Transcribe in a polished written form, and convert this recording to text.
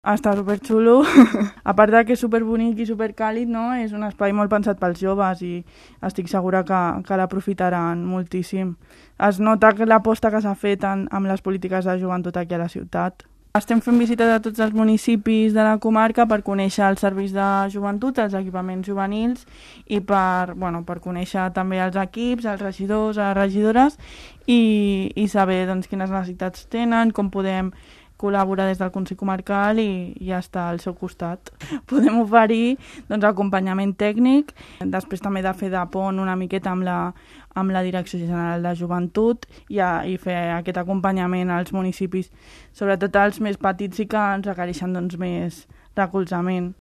Està superxulo. A part de que és superbonic i supercàlid, no? És un espai molt pensat pels joves i estic segura que l'aprofitaran moltíssim. Es nota l'aposta que s'ha fet amb les polítiques de joventut aquí a la ciutat. Estem fent visites a tots els municipis de la comarca per conèixer els serveis de joventut, els equipaments juvenils i per conèixer també els equips, els regidors, les regidores i saber doncs, quines necessitats tenen, com podem col·laborar des del Consell Comarcal i estar al seu costat. Podem oferir acompanyament tècnic, després també de fer de pont una miqueta amb la Direcció General de Joventut i fer aquest acompanyament als municipis, sobretot als més petits i que ens requereixen més recolzament.